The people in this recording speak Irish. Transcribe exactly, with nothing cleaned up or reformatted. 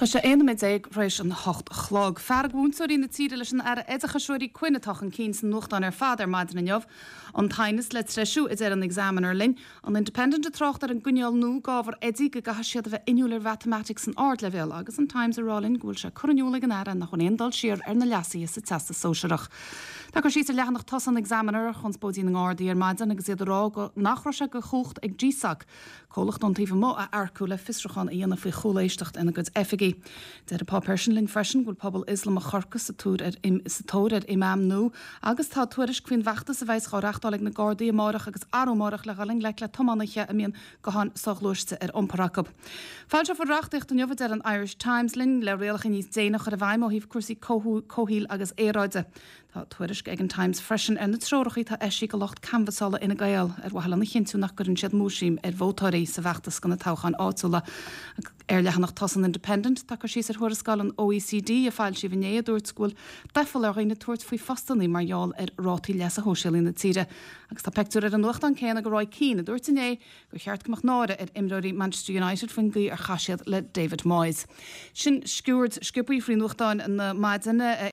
Tá sé aon nóiméad déag tar éis an hocht a chlog. Fearg mhúinteoirí na tíre leis an Aire Oideachais Ruairí Quinn atá chun cinn sna nuachtáin ar fad ar maidin inniu. An t-aighneas le treisiú a deir an Examiner linn, an Independent ag trácht ar an gcoinníoll nua d'ábhar oidí go gcaithfidh siad a bheith inniúil ar mhatamaitic san ardleibhéal agus an Times ag rá linn go bhfuil sé curtha in iúl ag an Aire nach bhfuil aon dul siar ar na leasuithe sa Teastas Sóisearach. Tá cur síos ar leathanach tosaigh an Examiner ar chonspóidí na nGardaí ar maidin agus iad ag rá go nach raibh sé de chumhacht ag GSOC comhlacht ón taobh amuigh a earcú le fiosrúchán a dhéanamh faoi chúléisteacht ina gcuid oifigí. Deir an páipéar sin linn freisin go bhfuil pobal Ioslamach Chorcaí sa tóir ar sa tóir ar imam nua agus tá tuairisc faoin bhfeachtas a bheas á reáchtáil ag na Gardaí amárach agus arú amárach le dhul i ngleic le tiománaithe a mbíonn gutháin soghluaiste ar iompar acu. Foilseofar reachtaíocht inniu a deir an Irish Times linn le rialacha níos déine a chur i bhfeidhm ó thaobh cúrsaí comhshaoil agus aeráide. Tá tuairisc ag an Times freisin ar na treoracha atá eisithe do lucht canbhasála Fhine Gael ar mhaithe lena chinntiú nach gcuireann siad múisiam ar vótóirí sa bhfeachtas do na toghcháin áitiúla. Ar leathanach tosaigh an Independent tá cur síos ar thuarascáil an OECD a foilsíodh inné a dúirt go bhfuil doicheall ar dhaoine tabhairt faoi phostanna mar gheall ar rátaí leasa shóisialaigh na tíre. Agus tá pictiúr ar an nuachtán céanna de Roy Keane a dúirt inné gur cheart go mbeadh náire ar imreoirí Manchester United faoin gcaoi ar chaith siad le David Moyes. Sin sciuird sciobtha faoi nuachtáin na maidine